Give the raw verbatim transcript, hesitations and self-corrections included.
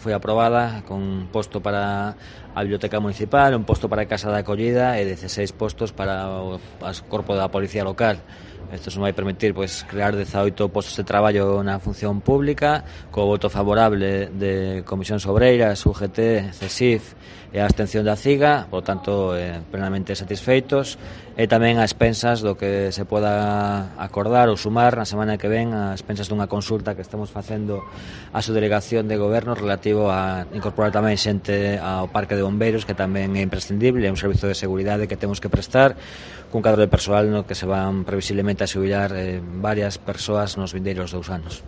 Foi aprobada con un posto para a Biblioteca Municipal, un posto para a Casa de Acollida e dezasseis postos para o corpo da Policía Local. Isto non vai permitir pois, crear dezaoito postos de traballo na función pública, co voto favorable de Comisións Obreiras, U G T, C S I F e a abstención da C I G A, por tanto, eh, plenamente satisfeitos, e tamén a expensas do que se poda acordar ou sumar na semana que ven a expensas dunha consulta que estamos facendo a subdelegación de goberno relativo a incorporar tamén xente ao parque de bombeiros, que tamén é imprescindible, é un servizo de seguridade que temos que prestar, cun cadro de persoal no que se van previsiblemente a xubilar eh, varias persoas nos vindeiros dous anos.